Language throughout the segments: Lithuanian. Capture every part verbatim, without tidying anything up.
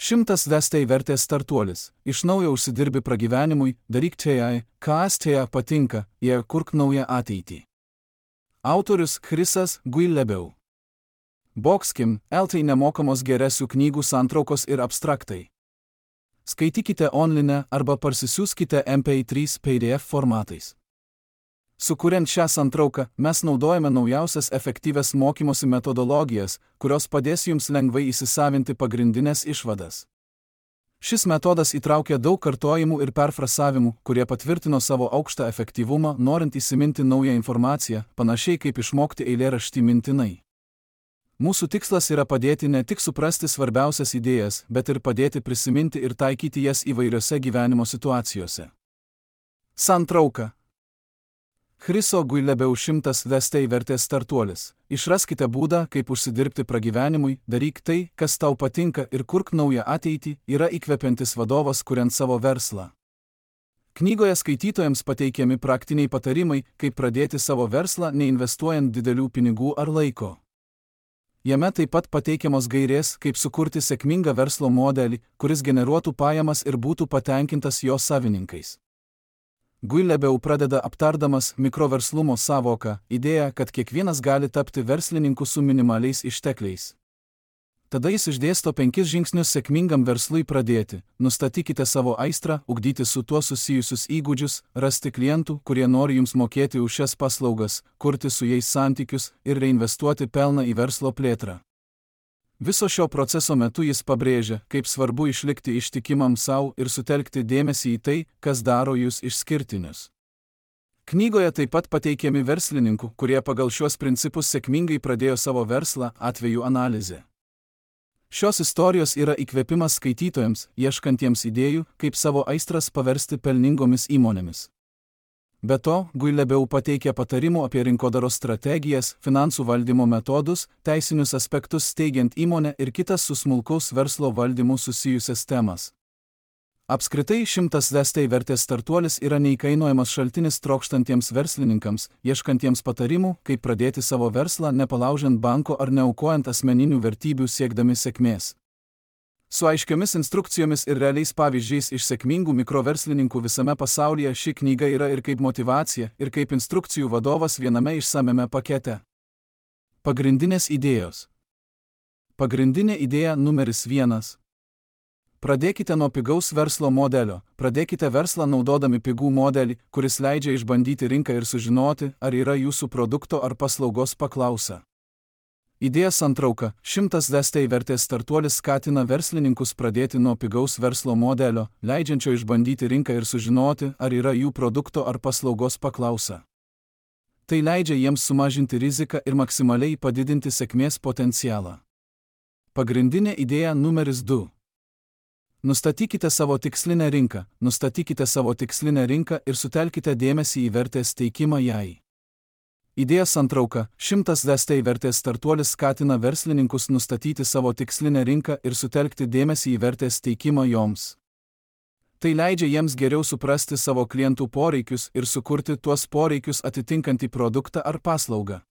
Šimtas vestai vertės startuolis. Iš naujo užsidirbi pragyvenimui, daryk čia, kas čia patinka, ir kurk naują ateitį. Autorius Chrisas Guillebeau. Boxkim, eltai nemokamos geresių knygų santraukos ir abstraktai. Skaitykite online arba parsisiųskite M P trys P D F formatais. Sukuriant šią santrauką, mes naudojame naujausias efektyvias mokymosi metodologijas, kurios padės jums lengvai įsisavinti pagrindinės išvadas. Šis metodas įtraukia daug kartojimų ir perfrasavimų, kurie patvirtino savo aukštą efektyvumą, norint įsiminti naują informaciją, panašiai kaip išmokti eilėraštį mintinai. Mūsų tikslas yra padėti ne tik suprasti svarbiausias idėjas, bet ir padėti prisiminti ir taikyti jas įvairiose gyvenimo situacijose. Santrauka. Chriso Guillebeau šimtas vestai vertės startuolis. Išraskite būdą, kaip užsidirbti pragyvenimui, daryk tai, kas tau patinka ir kurk naują ateitį, yra įkvepiantis vadovas kuriant savo verslą. Knygoje skaitytojams pateikiami praktiniai patarimai, kaip pradėti savo verslą, neinvestuojant didelių pinigų ar laiko. Jame taip pat pateikiamos gairės, kaip sukurti sėkmingą verslo modelį, kuris generuotų pajamas ir būtų patenkintas jo savininkais. Guillebeau pradeda aptardamas mikroverslumo sąvoką, idėją, kad kiekvienas gali tapti verslininku su minimaliais ištekliais. Tada jis išdėsto penkis žingsnius sėkmingam verslui pradėti. Nustatykite savo aistrą, ugdyti su tuo susijusius įgūdžius, rasti klientų, kurie nori jums mokėti už šias paslaugas, kurti su jais santykius ir reinvestuoti pelną į verslo plėtrą. Viso šio proceso metu jis pabrėžia, kaip svarbu išlikti ištikimam savo ir sutelkti dėmesį į tai, kas daro jūs išskirtinius. Knygoje taip pat pateikiami verslininkų, kurie pagal šios principus sėkmingai pradėjo savo verslą, atvejų analizė. Šios istorijos yra įkvėpimas skaitytojams, ieškantiems idėjų, kaip savo aistras paversti pelningomis įmonėmis. Be to, Guillebeau pateikia patarimų apie rinkodaros strategijas, finansų valdymo metodus, teisinius aspektus steigiant įmonę ir kitas su smulkaus verslo valdymu susijusias temas. Apskritai šimtas vestai vertės startuolis yra neįkainojamas šaltinis trokštantiems verslininkams, ieškantiems patarimų, kaip pradėti savo verslą, nepalaužiant banko ar neaukojant asmeninių vertybių siekdami sėkmės. Su aiškiomis instrukcijomis ir realiais pavyzdžiais iš sėkmingų mikroverslininkų visame pasaulyje ši knyga yra ir kaip motyvacija, ir kaip instrukcijų vadovas viename išsamiame pakete. Pagrindinės idėjos. Pagrindinė idėja numeris vienas. Pradėkite nuo pigaus verslo modelio. Pradėkite verslą naudodami pigų modelį, kuris leidžia išbandyti rinką ir sužinoti, ar yra jūsų produkto ar paslaugos paklausa. Idėja santrauka. Šimtas vestai vertės startuolis skatina verslininkus pradėti nuo pigaus verslo modelio, leidžiančio išbandyti rinką ir sužinoti, ar yra jų produkto ar paslaugos paklausa. Tai leidžia jiems sumažinti riziką ir maksimaliai padidinti sėkmės potencialą. Pagrindinė idėja numeris du. Nustatykite savo tikslinę rinką, nustatykite savo tikslinę rinką ir sutelkite dėmesį į vertės teikimą jai. Idėja santrauka. Šimtas vestai vertės startuolis skatina verslininkus nustatyti savo tikslinę rinką ir sutelkti dėmesį į vertės teikimą joms. Tai leidžia jiems geriau suprasti savo klientų poreikius ir sukurti tuos poreikius atitinkantį produktą ar paslaugą.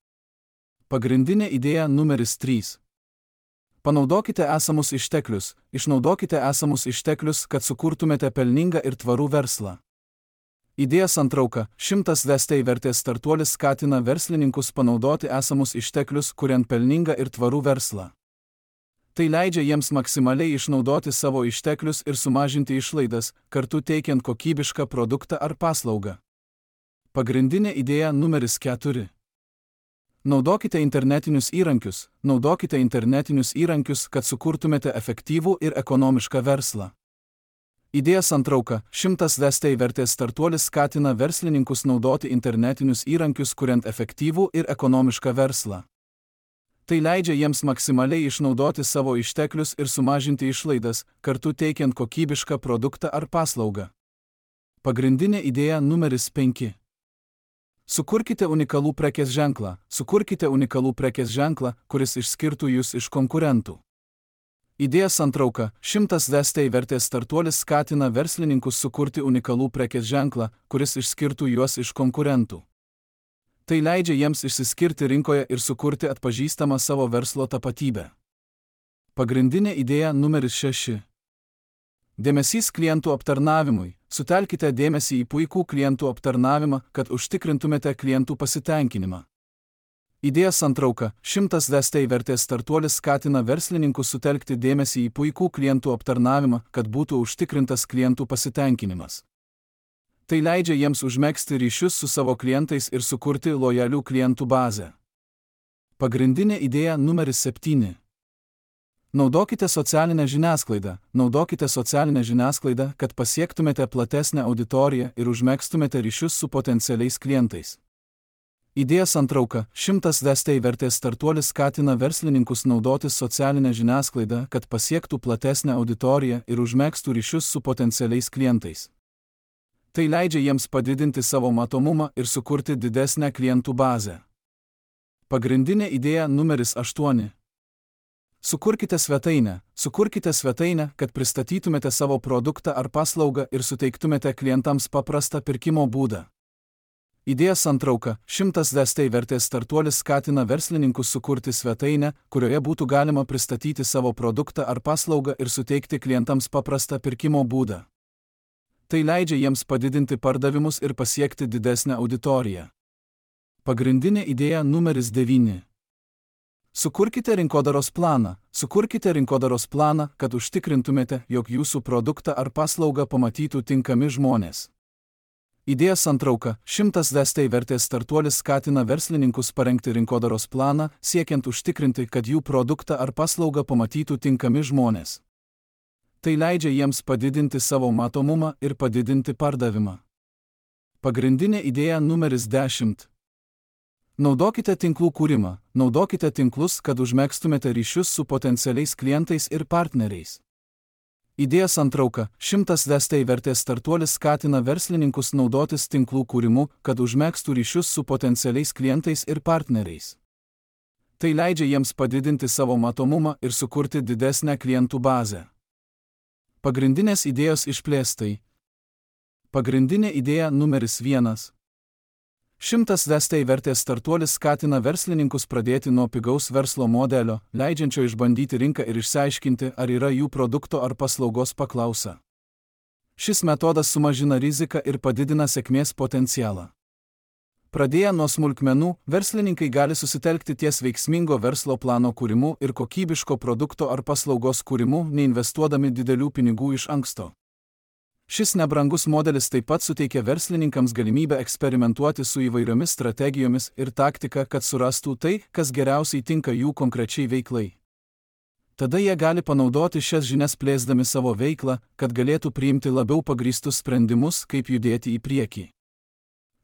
Pagrindinė idėja numeris trys. Panaudokite esamus išteklius, išnaudokite esamus išteklius, kad sukurtumėte pelningą ir tvarų verslą. Idėja santrauka. Šimtas vestai vertės startuolis skatina verslininkus panaudoti esamus išteklius, kuriant pelningą ir tvarų verslą. Tai leidžia jiems maksimaliai išnaudoti savo išteklius ir sumažinti išlaidas, kartu teikiant kokybišką produktą ar paslaugą. Pagrindinė idėja numeris keturi. Naudokite internetinius įrankius, naudokite internetinius įrankius, kad sukurtumėte efektyvų ir ekonomišką verslą. Idėja santrauka. Šimtas vestai vertės startuolis skatina verslininkus naudoti internetinius įrankius, kuriant efektyvų ir ekonomišką verslą. Tai leidžia jiems maksimaliai išnaudoti savo išteklius ir sumažinti išlaidas, kartu teikiant kokybišką produktą ar paslaugą. Pagrindinė idėja numeris penki. Sukurkite unikalų prekės ženklą, sukurkite unikalų prekės ženklą, kuris išskirtų jūs iš konkurentų. Idėja santrauka. Šimtas vestai vertės startuolis skatina verslininkus sukurti unikalų prekės ženklą, kuris išskirtų juos iš konkurentų. Tai leidžia jiems išsiskirti rinkoje ir sukurti atpažįstamą savo verslo tapatybę. Pagrindinė idėja numeris šeši. Dėmesys klientų aptarnavimui. Sutelkite dėmesį į puikų klientų aptarnavimą, kad užtikrintumėte klientų pasitenkinimą. Idėja santrauka. šimtas D S T vertės startuolis skatina verslininkus sutelkti dėmesį į puikų klientų aptarnavimą, kad būtų užtikrintas klientų pasitenkinimas. Tai leidžia jiems užmegzti ryšius su savo klientais ir sukurti lojalių klientų bazę. Pagrindinė idėja numeris septyni. Naudokite socialinę žiniasklaidą. Naudokite socialinę žiniasklaidą, kad pasiektumėte platesnę auditoriją ir užmegztumėte ryšius su potencialiais klientais. Idėja santrauka. šimtas D S T vertės startuolis skatina verslininkus naudotis socialinę žiniasklaidą, kad pasiektų platesnę auditoriją ir užmegztų ryšius su potencialiais klientais. Tai leidžia jiems padidinti savo matomumą ir sukurti didesnę klientų bazę. Pagrindinė idėja numeris aštuoni. Sukurkite svetainę. Sukurkite svetainę, kad pristatytumėte savo produktą ar paslaugą ir suteiktumėte klientams paprastą pirkimo būdą. Idėja santrauka. šimtas D S T vertės startuolis skatina verslininkus sukurti svetainę, kurioje būtų galima pristatyti savo produktą ar paslaugą ir suteikti klientams paprastą pirkimo būdą. Tai leidžia jiems padidinti pardavimus ir pasiekti didesnę auditoriją. Pagrindinė idėja numeris devyni. Sukurkite rinkodaros planą. Sukurkite rinkodaros planą, kad užtikrintumėte, jog jūsų produktą ar paslaugą pamatytų tinkami žmonės. Idėja santrauka. šimtas D S T vertės startuolis skatina verslininkus parengti rinkodaros planą, siekiant užtikrinti, kad jų produktą ar paslaugą pamatytų tinkami žmonės. Tai leidžia jiems padidinti savo matomumą ir padidinti pardavimą. Pagrindinė idėja numeris dešimt. Naudokite tinklų kūrimą. Naudokite tinklus, kad užmegztumėte ryšius su potencialiais klientais ir partneriais. Idėja santrauka. šimtas D S T vertės startuolis skatina verslininkus naudotis tinklų kūrimu, kad užmegztų ryšius su potencialiais klientais ir partneriais. Tai leidžia jiems padidinti savo matomumą ir sukurti didesnę klientų bazę. Pagrindinės idėjos išplėstai. Pagrindinė idėja numeris vienas. šimtas D S T vertės startuolis skatina verslininkus pradėti nuo pigaus verslo modelio, leidžiančio išbandyti rinką ir išsiaiškinti, ar yra jų produkto ar paslaugos paklausa. Šis metodas sumažina riziką ir padidina sėkmės potencialą. Pradėję nuo smulkmenų, verslininkai gali susitelkti ties veiksmingo verslo plano kūrimu ir kokybiško produkto ar paslaugos kūrimu, neinvestuodami didelių pinigų iš anksto. Šis nebrangus modelis taip pat suteikia verslininkams galimybę eksperimentuoti su įvairiomis strategijomis ir taktika, kad surastų tai, kas geriausiai tinka jų konkrečiai veiklai. Tada jie gali panaudoti šias žinias plėsdami savo veiklą, kad galėtų priimti labiau pagrįstus sprendimus, kaip judėti į priekį.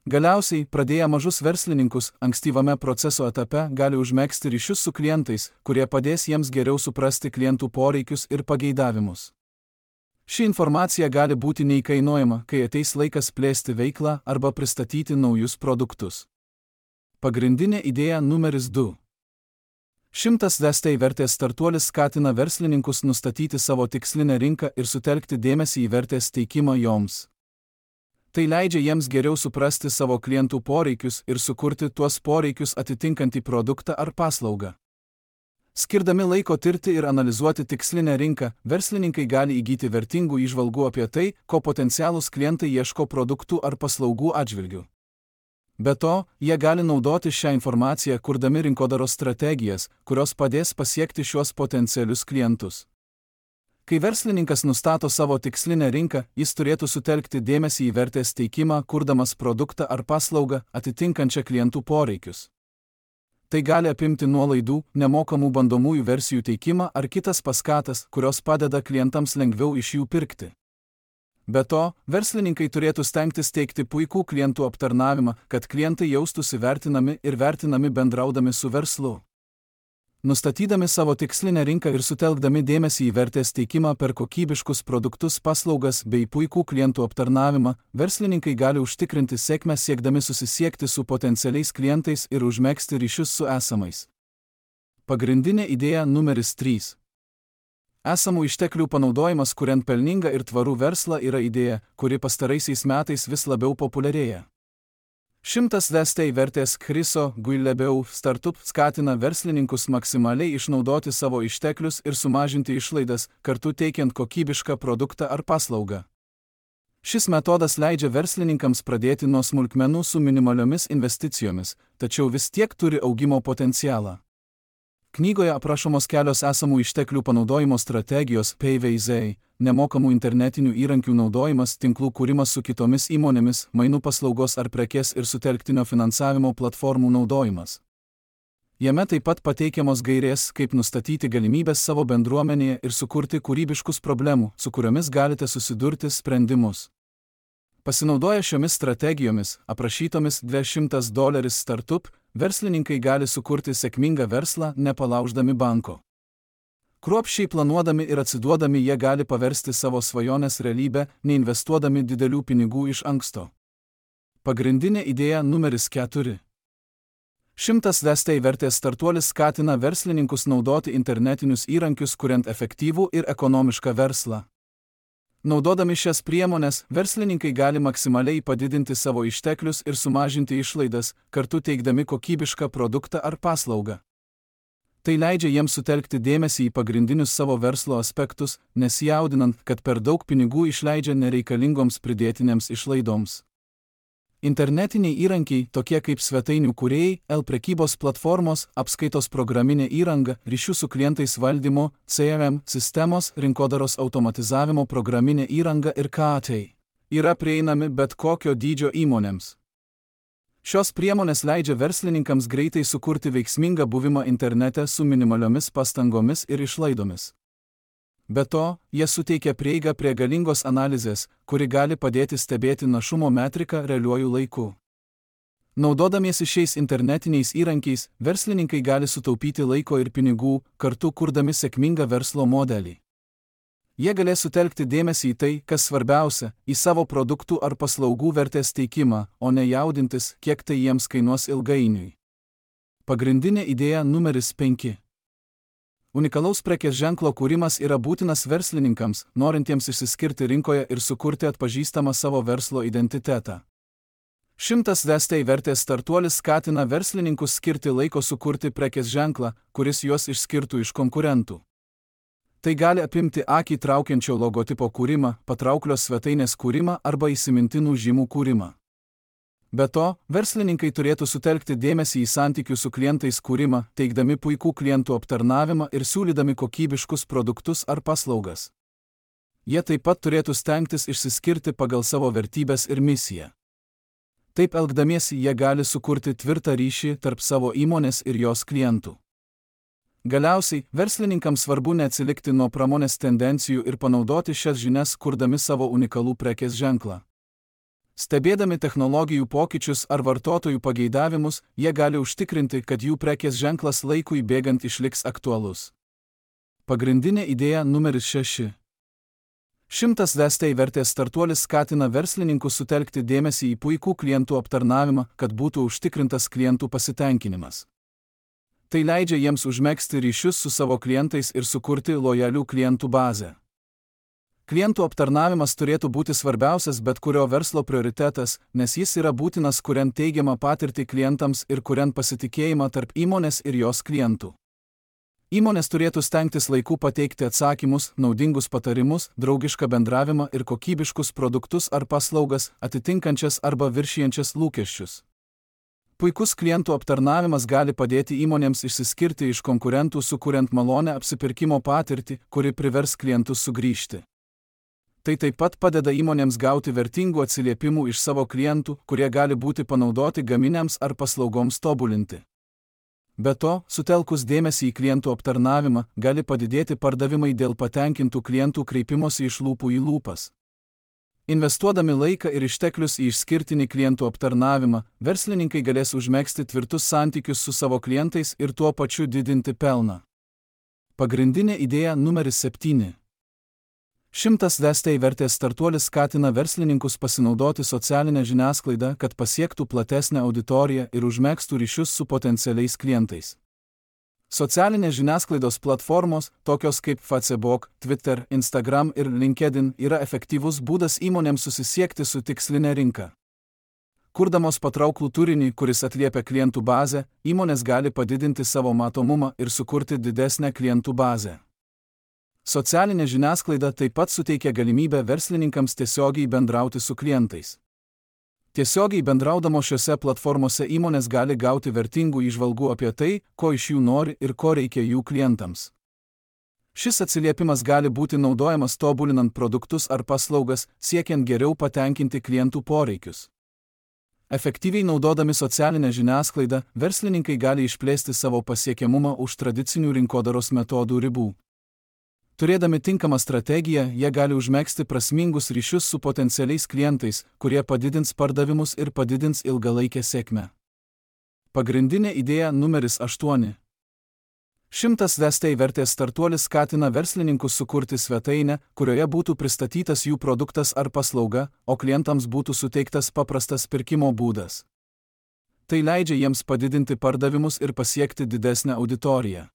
Galiausiai, pradėję mažus verslininkus, ankstyvame proceso etape gali užmegzti ryšius su klientais, kurie padės jiems geriau suprasti klientų poreikius ir pageidavimus. Ši informacija gali būti neįkainojama, kai ateis laikas plėsti veiklą arba pristatyti naujus produktus. Pagrindinė idėja numeris du. šimtas D S T vertės startuolis skatina verslininkus nustatyti savo tikslinę rinką ir sutelkti dėmesį į vertės teikimą joms. Tai leidžia jiems geriau suprasti savo klientų poreikius ir sukurti tuos poreikius atitinkantį produktą ar paslaugą. Skirdami laiko tirti ir analizuoti tikslinę rinką, verslininkai gali įgyti vertingų įžvalgų apie tai, ko potencialūs klientai ieško produktų ar paslaugų atžvilgių. Be to, jie gali naudoti šią informaciją, kurdami rinkodaros strategijas, kurios padės pasiekti šiuos potencialius klientus. Kai verslininkas nustato savo tikslinę rinką, jis turėtų sutelkti dėmesį į vertės teikimą, kurdamas produktą ar paslaugą atitinkančią klientų poreikius. Tai gali apimti nuolaidų, nemokamų bandomųjų versijų teikimą ar kitas paskatas, kurios padeda klientams lengviau iš jų pirkti. Be to, verslininkai turėtų stengtis teikti puikų klientų aptarnavimą, kad klientai jaustųsi vertinami ir vertinami bendraudami su verslu. Nustatydami savo tikslinę rinką ir sutelkdami dėmesį į vertės teikimą per kokybiškus produktus, paslaugas bei puikų klientų aptarnavimą, verslininkai gali užtikrinti sėkmę siekdami susisiekti su potencialiais klientais ir užmegzti ryšius su esamais. Pagrindinė idėja numeris trys. Esamų išteklių panaudojimas kuriant pelningą ir tvarų verslą yra idėja, kuri pastaraisiais metais vis labiau populiarėja. Šimtas VST vertės Chriso Guillebeau startup skatina verslininkus maksimaliai išnaudoti savo išteklius ir sumažinti išlaidas, kartu teikiant kokybišką produktą ar paslaugą. Šis metodas leidžia verslininkams pradėti nuo smulkmenų su minimaliomis investicijomis, tačiau vis tiek turi augimo potencialą. Knygoje aprašomos kelios esamų išteklių panaudojimo strategijos P V Z, nemokamų internetinių įrankių naudojimas, tinklų kūrimas su kitomis įmonėmis, mainų paslaugos ar prekės ir sutelktinio finansavimo platformų naudojimas. Jame taip pat pateikiamos gairės, kaip nustatyti galimybės savo bendruomenėje ir sukurti kūrybiškus problemų, su kuriomis galite susidurti sprendimus. Pasinaudoję šiomis strategijomis, aprašytomis dvidešimt dolerių startup, verslininkai gali sukurti sėkmingą verslą, nepalauždami banko. Kruopščiai planuodami ir atsiduodami jie gali paversti savo svajonės realybę, neinvestuodami didelių pinigų iš anksto. Pagrindinė idėja numeris keturi. Šimtas VST vertės startuolis skatina verslininkus naudoti internetinius įrankius, kuriant efektyvų ir ekonomišką verslą. Naudodami šias priemones, verslininkai gali maksimaliai padidinti savo išteklius ir sumažinti išlaidas, kartu teikdami kokybišką produktą ar paslaugą. Tai leidžia jiems sutelkti dėmesį į pagrindinius savo verslo aspektus, nesijaudinant, kad per daug pinigų išleidžia nereikalingoms pridėtinėms išlaidoms. Internetiniai įrankiai, tokie kaip svetainių kūrėjai, e-prekybos platformos, apskaitos programinė įranga, ryšių su klientais valdymo, C R M sistemos, rinkodaros automatizavimo programinė įranga ir K A T yra prieinami bet kokio dydžio įmonėms. Šios priemonės leidžia verslininkams greitai sukurti veiksmingą buvimą internete su minimaliomis pastangomis ir išlaidomis. Be to, jie suteikia prieigą prie galingos analizės, kuri gali padėti stebėti našumo metriką realiuoju laiku. Naudodamiesi šiais internetiniais įrankiais, verslininkai gali sutaupyti laiko ir pinigų, kartu kurdami sėkmingą verslo modelį. Jie galės sutelkti dėmesį į tai, kas svarbiausia, į savo produktų ar paslaugų vertės teikimą, o ne jaudintis, kiek tai jiems kainuos ilgainiui. Pagrindinė idėja numeris penki. Unikalaus prekės ženklo kūrimas yra būtinas verslininkams, norintiems išsiskirti rinkoje ir sukurti atpažįstamą savo verslo identitetą. Šimtas VST vertės startuolis skatina verslininkus skirti laiko sukurti prekės ženklą, kuris juos išskirtų iš konkurentų. Tai gali apimti akį traukiančio logotipo kūrimą, patrauklios svetainės kūrimą arba įsimintinų žymų kūrimą. Be to, verslininkai turėtų sutelkti dėmesį į santykių su klientais kūrimą, teikdami puikų klientų aptarnavimą ir siūlydami kokybiškus produktus ar paslaugas. Jie taip pat turėtų stengtis išsiskirti pagal savo vertybes ir misiją. Taip elgdamiesi jie gali sukurti tvirtą ryšį tarp savo įmonės ir jos klientų. Galiausiai, verslininkams svarbu neatsilikti nuo pramonės tendencijų ir panaudoti šias žinias, kurdami savo unikalų prekės ženklą. Stebėdami technologijų pokyčius ar vartotojų pageidavimus, jie gali užtikrinti, kad jų prekės ženklas laikui bėgant išliks aktualus. Pagrindinė idėja numeris šeši. Šimtas VST vertės startuolis skatina verslininkus sutelkti dėmesį į puikų klientų aptarnavimą, kad būtų užtikrintas klientų pasitenkinimas. Tai leidžia jiems užmegzti ryšius su savo klientais ir sukurti lojalių klientų bazę. Klientų aptarnavimas turėtų būti svarbiausias bet kurio verslo prioritetas, nes jis yra būtinas kuriant teigiamą patirtį klientams ir kuriant pasitikėjimą tarp įmonės ir jos klientų. Įmonės turėtų stengtis laiku pateikti atsakymus, naudingus patarimus, draugišką bendravimą ir kokybiškus produktus ar paslaugas, atitinkančias arba viršijančias lūkesčius. Puikus klientų aptarnavimas gali padėti įmonėms išsiskirti iš konkurentų, sukuriant malonę apsipirkimo patirtį, kuri privers klientus sugrįžti. Tai taip pat padeda įmonėms gauti vertingų atsiliepimų iš savo klientų, kurie gali būti panaudoti gaminiams ar paslaugoms tobulinti. Be to, sutelkus dėmesį į klientų aptarnavimą, gali padidėti pardavimai dėl patenkintų klientų kreipimosi iš lūpų į lūpas. Investuodami laiką ir išteklius į išskirtinį klientų aptarnavimą, verslininkai galės užmegzti tvirtus santykius su savo klientais ir tuo pačiu didinti pelną. Pagrindinė idėja numeris septyni. Šimtas VST vertės startuolis skatina verslininkus pasinaudoti socialinę žiniasklaidą, kad pasiektų platesnę auditoriją ir užmegztų ryšius su potencialiais klientais. Socialinės žiniasklaidos platformos, tokios kaip Facebook, Twitter, Instagram ir LinkedIn, yra efektyvus būdas įmonėms susisiekti su tiksline rinka. Kurdamos patrauklų turinį, kuris atliepia klientų bazę, įmonės gali padidinti savo matomumą ir sukurti didesnę klientų bazę. Socialinė žiniasklaida taip pat suteikia galimybę verslininkams tiesiogiai bendrauti su klientais. Tiesiogiai bendraudamos šiose platformose įmonės gali gauti vertingų įžvalgų apie tai, ko iš jų nori ir ko reikia jų klientams. Šis atsiliepimas gali būti naudojamas tobulinant produktus ar paslaugas, siekiant geriau patenkinti klientų poreikius. Efektyviai naudodami socialinę žiniasklaidą, verslininkai gali išplėsti savo pasiekiamumą už tradicinių rinkodaros metodų ribų. Turėdami tinkamą strategiją, jie gali užmegzti prasmingus ryšius su potencialiais klientais, kurie padidins pardavimus ir padidins ilgalaikę sėkmę. Pagrindinė idėja numeris aštuoni. Šimtas Vestei vertės startuolis skatina verslininkus sukurti svetainę, kurioje būtų pristatytas jų produktas ar paslauga, o klientams būtų suteiktas paprastas pirkimo būdas. Tai leidžia jiems padidinti pardavimus ir pasiekti didesnę auditoriją.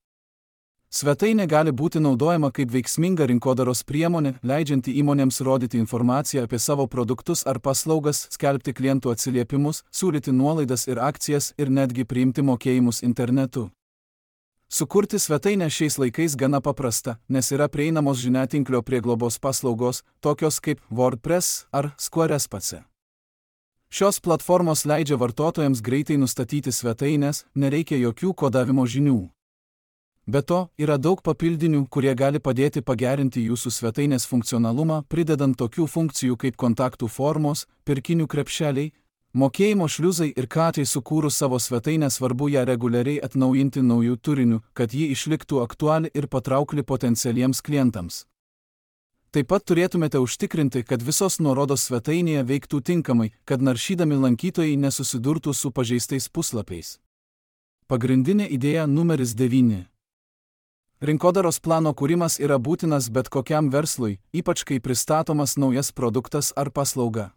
Svetainė gali būti naudojama kaip veiksminga rinkodaros priemonė, leidžianti įmonėms rodyti informaciją apie savo produktus ar paslaugas, skelbti klientų atsiliepimus, siūlyti nuolaidas ir akcijas ir netgi priimti mokėjimus internetu. Sukurti svetainę šiais laikais gana paprasta, nes yra prieinamos žiniatinklio prieglobos paslaugos, tokios kaip WordPress ar Squarespace. Šios platformos leidžia vartotojams greitai nustatyti svetainės, nereikia jokių kodavimo žinių. Be to, yra daug papildinių, kurie gali padėti pagerinti jūsų svetainės funkcionalumą, pridedant tokių funkcijų kaip kontaktų formos, pirkinių krepšeliai, mokėjimo šliuzai ir katai. Sukūrus savo svetainę svarbu ją reguliariai atnaujinti naujų turinių, kad ji išliktų aktuali ir patraukli potencialiems klientams. Taip pat turėtumėte užtikrinti, kad visos nuorodos svetainėje veiktų tinkamai, kad naršydami lankytojai nesusidurtų su pažeistais puslapiais. Pagrindinė idėja numeris devyni. Rinkodaros plano kūrimas yra būtinas bet kokiam verslui, ypač kai pristatomas naujas produktas ar paslauga.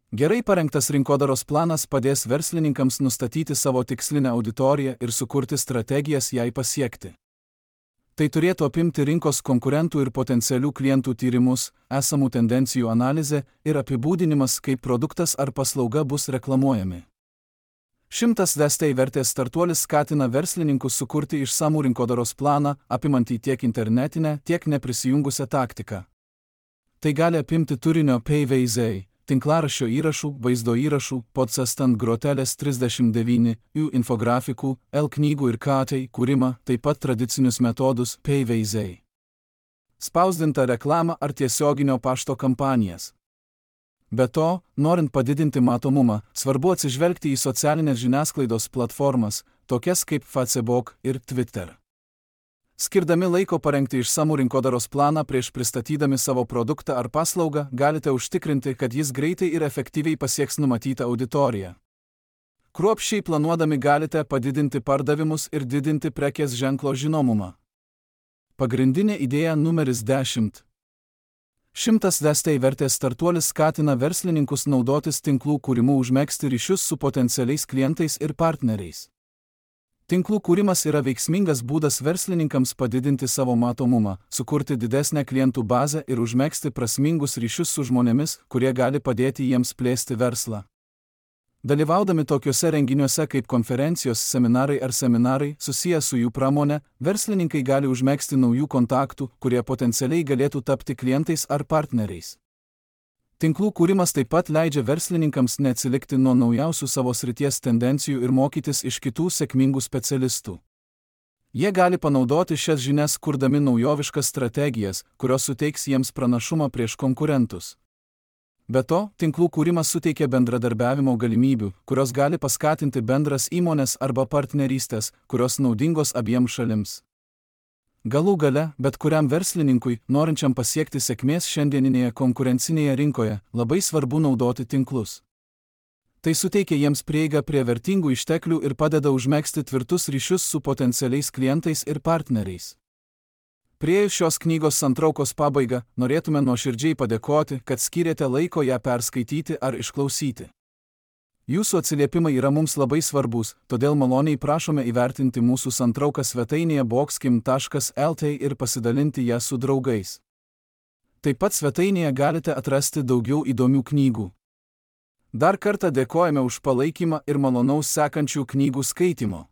Gerai parengtas rinkodaros planas padės verslininkams nustatyti savo tikslinę auditoriją ir sukurti strategijas jai pasiekti. Tai turėtų apimti rinkos konkurentų ir potencialių klientų tyrimus, esamų tendencijų analizę ir apibūdinimas, kaip produktas ar paslauga bus reklamuojami. Šimtas Vestei vertės startuolis skatina verslininkus sukurti išsamų rinkodaros planą, apimantį tiek internetinę, tiek neprisijungusią taktiką. Tai gali apimti turinio P V Z, tinklaraščio įrašų, vaizdo įrašų, podcast ant grotelės trisdešimt devyni, jų infografikų, L-knygų ir K T kūrimą, taip pat tradicinius metodus P V Z. Spausdintą reklamą ar tiesioginio pašto kampanijas. Be to, norint padidinti matomumą, svarbu atsižvelgti į socialinės žiniasklaidos platformas, tokias kaip Facebook ir Twitter. Skirdami laiko parengti išsamų rinkodaros planą prieš pristatydami savo produktą ar paslaugą, galite užtikrinti, kad jis greitai ir efektyviai pasieks numatytą auditoriją. Kruopščiai planuodami galite padidinti pardavimus ir didinti prekės ženklo žinomumą. Pagrindinė idėja numeris dešimt. Šimtas Vestei vertės startuolis skatina verslininkus naudotis tinklų kūrimu užmegzti ryšius su potencialiais klientais ir partneriais. Tinklų kūrimas yra veiksmingas būdas verslininkams padidinti savo matomumą, sukurti didesnę klientų bazę ir užmegzti prasmingus ryšius su žmonėmis, kurie gali padėti jiems plėsti verslą. Dalyvaudami tokiuose renginiuose kaip konferencijos, seminarai ar seminarai susiję su jų pramone, verslininkai gali užmegzti naujų kontaktų, kurie potencialiai galėtų tapti klientais ar partneriais. Tinklų kūrimas taip pat leidžia verslininkams neatsilikti nuo naujausių savo srities tendencijų ir mokytis iš kitų sėkmingų specialistų. Jie gali panaudoti šias žinias kurdami naujoviškas strategijas, kurios suteiks jiems pranašumą prieš konkurentus. Be to, tinklų kūrimas suteikia bendradarbiavimo galimybių, kurios gali paskatinti bendras įmonės arba partnerystės, kurios naudingos abiems šalims. Galų gale, bet kuriam verslininkui, norinčiam pasiekti sėkmės šiandieninėje konkurencinėje rinkoje, labai svarbu naudoti tinklus. Tai suteikia jiems prieigą prie vertingų išteklių ir padeda užmegzti tvirtus ryšius su potencialiais klientais ir partneriais. Priėjus šios knygos santraukos pabaigą, norėtume nuoširdžiai padėkoti, kad skyrėte laiko ją perskaityti ar išklausyti. Jūsų atsiliepimai yra mums labai svarbus, todėl maloniai prašome įvertinti mūsų santrauką svetainėje boxkim taškas el t ir pasidalinti ją su draugais. Taip pat svetainėje galite atrasti daugiau įdomių knygų. Dar kartą dėkojame už palaikymą ir malonaus sekančių knygų skaitimo.